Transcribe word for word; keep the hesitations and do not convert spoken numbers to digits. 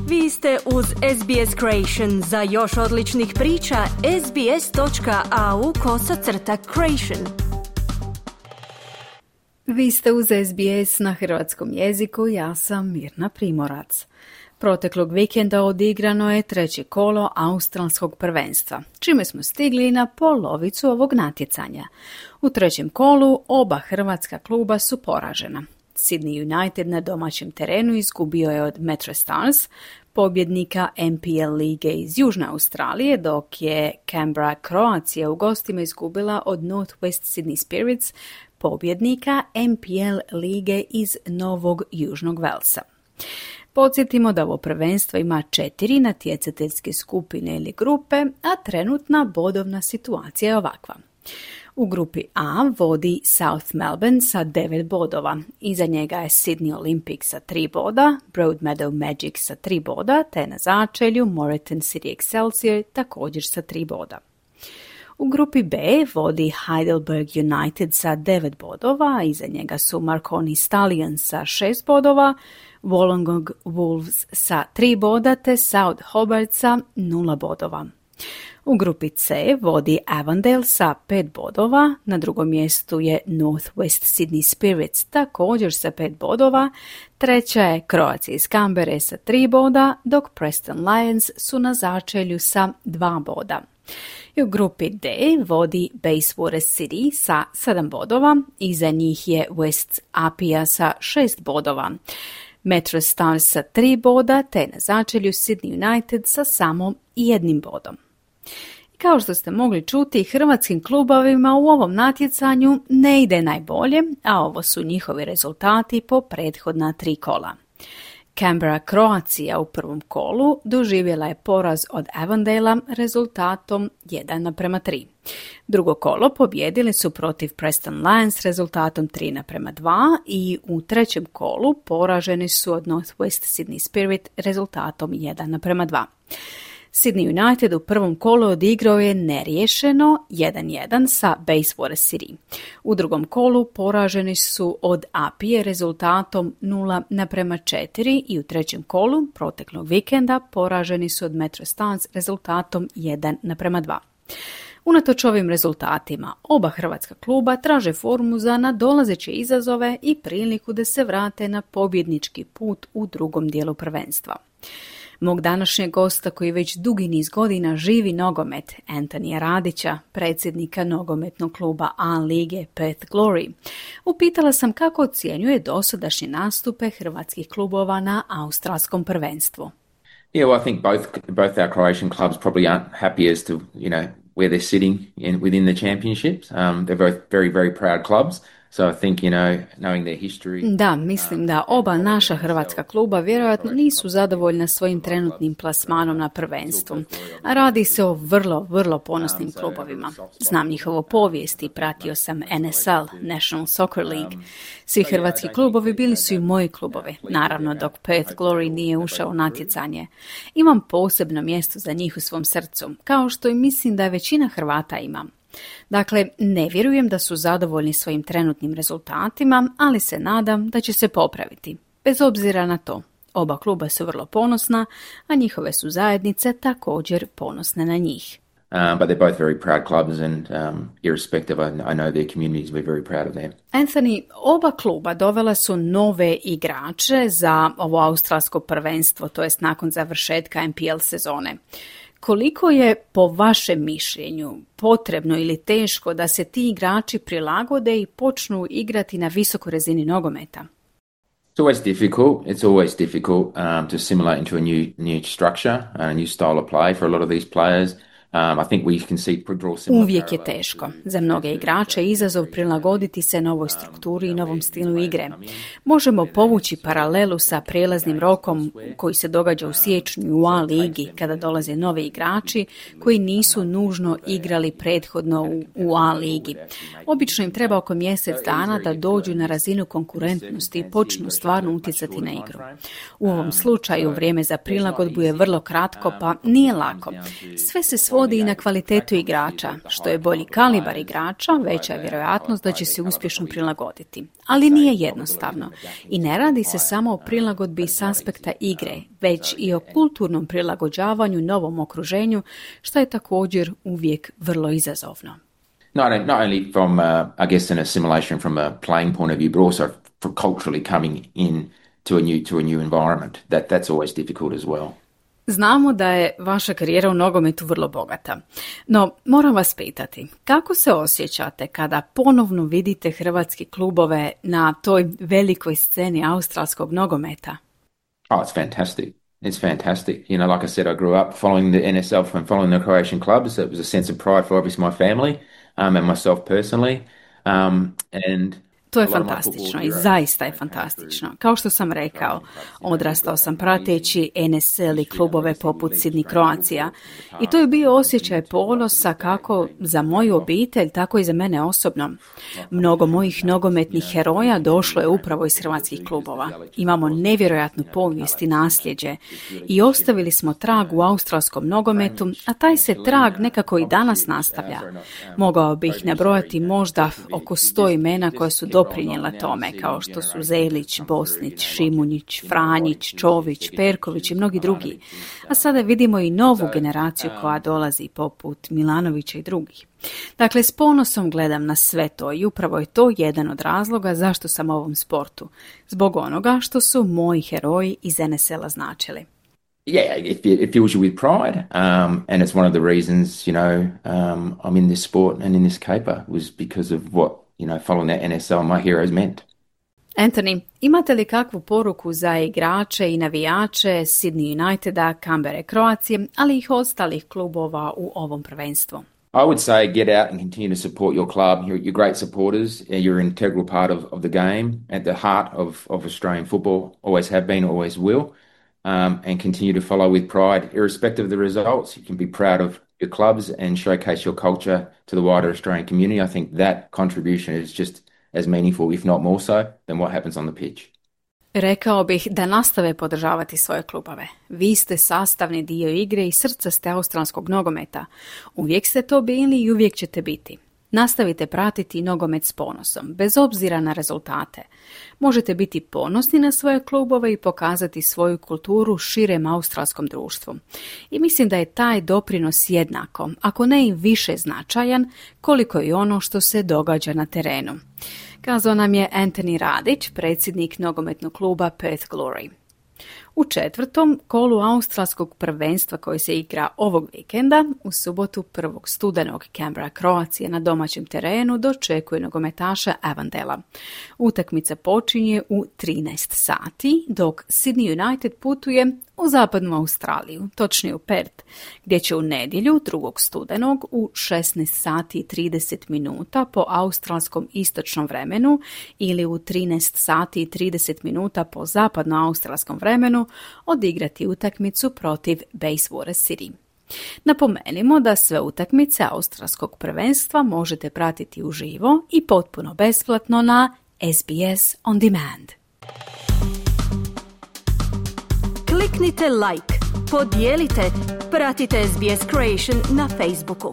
Vi ste uz S B S Creation. Za još odličnih priča, sbs.au kosacrta creation. Vi ste uz S B S na hrvatskom jeziku, ja sam Mirna Primorac. Proteklog vikenda odigrano je treće kolo australskog prvenstva, čime smo stigli na polovicu ovog natjecanja. U trećem kolu oba hrvatska kluba su poražena. Sydney United na domaćem terenu izgubio je od Metro Stars, pobjednika N P L lige iz Južne Australije, dok je Canberra Croatia u gostima izgubila od North West Sydney Spirits, pobjednika N P L lige iz Novog Južnog Velsa. Podsjetimo da ovo prvenstvo ima četiri natjecateljske skupine ili grupe, a trenutna bodovna situacija je ovakva. U grupi A vodi South Melbourne sa devet bodova. Iza njega je Sydney Olympic sa tri boda, Broadmeadow Magic sa tri boda, te na začelju Moreton City Excelsior također sa tri boda. U grupi B vodi Heidelberg United sa devet bodova, iza njega su Marconi Stallions sa šest bodova, Wollongong Wolves sa tri boda, te South Hobart sa nula bodova. U grupi C vodi Avondale sa pet bodova, na drugom mjestu je North West Sydney Spirits također sa pet bodova, treća je Croatia iz Canberre sa tri boda, dok Preston Lions su na začelju sa dva boda. I u grupi D vodi Bayswater City sa sedam bodova, iza njih je West Apia sa šest bodova. Metro Stars sa tri boda, te na začelju Sydney United sa samo jednim bodom. Kao što ste mogli čuti, hrvatskim klubovima u ovom natjecanju ne ide najbolje, a ovo su njihovi rezultati po prethodna tri kola. Canberra Croatia u prvom kolu doživjela je poraz od Avondale rezultatom jedan naprema tri. Drugo kolo pobijedili su protiv Preston Lions rezultatom tri naprema dva i u trećem kolu poraženi su od North West Sydney Spirit rezultatom jedan naprema dva. Sydney United u prvom kolu odigrao je neriješeno jedan jedan sa Bayswater City. U drugom kolu poraženi su od Apije rezultatom nula naprema četiri i u trećem kolu proteklog vikenda poraženi su od Metro Stars rezultatom jedan naprema dva. Unatoč ovim rezultatima, oba hrvatska kluba traže formu za nadolazeće izazove i priliku da se vrate na pobjednički put u drugom dijelu prvenstva. Mog današnjeg gosta koji već dugi niz godina živi nogomet, Antonija Radića, predsjednika nogometnog kluba A lige Perth Glory, upitala sam kako ocjenjuje dosadašnje nastupe hrvatskih klubova na australskom prvenstvu. Yeah, well, I think both both our Croatian clubs probably aren't happy as to, you know, where they're sitting in, within the championships. Um, they're both very, very proud clubs. So I think, you know, knowing their history... Da, mislim da oba naša hrvatska kluba vjerojatno nisu zadovoljna svojim trenutnim plasmanom na prvenstvu. A radi se o vrlo, vrlo ponosnim klubovima. Znam njihovu povijest i pratio sam N S L, National Soccer League. Svi hrvatski klubovi bili su i moji klubovi, naravno dok Perth Glory nije ušao u natjecanje. Imam posebno mjesto za njih u svom srcu, kao što i mislim da većina Hrvata ima. Dakle, ne vjerujem da su zadovoljni svojim trenutnim rezultatima, ali se nadam da će se popraviti. Bez obzira na to, oba kluba su vrlo ponosna, a njihove su zajednice također ponosne na njih. Um, but they're both very proud clubs and um, irrespective, I, I know their communities, we're very proud of them. Anthony, oba kluba dovela su nove igrače za ovo australsko prvenstvo, to jest nakon završetka N P L sezone. Koliko je, po vašem mišljenju, potrebno ili teško da se ti igrači prilagode i počnu igrati na visokoj razini nogometa? It's always difficult. It's always difficult um, to assimilate into a new new structure and a new style of play for a lot of these players. Um, I think we can see draw similar. Uvijek je teško. Za mnoge igrače izazov prilagoditi se novoj strukturi i novom stilu igre. Možemo povući paralelu sa prijelaznim rokom koji se događa u siječnju u A ligi kada dolaze novi igrači koji nisu nužno igrali prethodno u, u A ligi. Obično im treba oko mjesec dana da dođu na razinu konkurentnosti i počnu stvarno utjecati na igru. U ovom slučaju vrijeme za prilagodbu je vrlo kratko, pa nije lako. Sve se svodi svodi i na kvalitetu igrača. Što je bolji kalibar igrača, veća je vjerojatnost da će se uspješno prilagoditi. Ali nije jednostavno. I ne radi se samo o prilagodbi s aspekta igre, već i o kulturnom prilagođavanju novom okruženju, što je također uvijek vrlo izazovno. Not, not only from, uh, I guess, an assimilation from a playing point of view, but also for culturally coming in to a new to a new environment. That that's always difficult as well. Znamo da je vaša karijera u nogometu vrlo bogata. No, moram vas pitati, kako se osjećate kada ponovno vidite hrvatske klubove na toj velikoj sceni australskog nogometa? Oh, it's fantastic. It's fantastic. You know, like I said, I grew up following the N S L and following the Croatian clubs. It was a sense of pride for obviously my family um, and myself personally. Um, and To je fantastično i zaista je fantastično. Kao što sam rekao, odrastao sam prateći N S L i klubove poput Sydney Croatia i to je bio osjećaj ponosa kako za moju obitelj, tako i za mene osobno. Mnogo mojih nogometnih heroja došlo je upravo iz hrvatskih klubova. Imamo nevjerojatnu povijest i nasljeđe i ostavili smo trag u australskom nogometu, a taj se trag nekako i danas nastavlja. Mogao bih nabrojati možda oko sto imena koja su doprinijela tome, kao što su Zelić, Bosnić, Šimunjić, Franjić, Čović, Perković i mnogi drugi. A sada vidimo i novu generaciju koja dolazi poput Milanovića i drugih. Dakle, s ponosom gledam na sve to i upravo je to jedan od razloga zašto sam u ovom sportu. Zbog onoga što su moji heroji iz N S L-a značili. Yeah, it, it fills you with pride, um, and it's one of the reasons, you know, um, I'm in this sport and in this caper was because of what, you know, following that N S L, my heroes meant. Anthony, imate li kakvu poruku za igrače i navijače Sydney Uniteda, Canberra Croacije, ali i ostalih klubova u ovom prvenstvu? I would say get out and continue to support your club. You're, you're great supporters. You're an integral part of, of the game, at the heart of, of Australian football. Always have been, always will. Um, and continue to follow with pride, irrespective of the results. You can be proud of your clubs and showcase your culture to the wider Australian community. I think that contribution is just as meaningful, if not more so, than what happens on the pitch. Rekao bih da nastave podržavati svoje klubove. Vi ste sastavni dio igre i srca ste australskog nogometa. Uvijek ste to bili i uvijek ćete biti. Nastavite pratiti nogomet s ponosom, bez obzira na rezultate. Možete biti ponosni na svoje klubove i pokazati svoju kulturu širem australskom društvu. I mislim da je taj doprinos jednako, ako ne i više značajan, koliko i ono što se događa na terenu. Kazao nam je Anthony Radić, predsjednik nogometnog kluba Perth Glory. U četvrtom kolu australskog prvenstva koji se igra ovog vikenda, u subotu prvog studenog Canberra Croatia na domaćem terenu dočekuje nogometaša Avondela. Utakmica počinje u trinaest sati, dok Sydney United putuje u zapadnu Australiju, točnije u Perth, gdje će u nedjelju drugog studenog u šesnaest sati i trideset minuta po australskom istočnom vremenu ili u trinaest sati i trideset minuta po zapadno-australskom vremenu odigrati utakmicu protiv Bayswater City. Napomenimo da sve utakmice australskog prvenstva možete pratiti uživo i potpuno besplatno na S B S On Demand. Kliknite like, podijelite, pratite S B S Creation na Facebooku.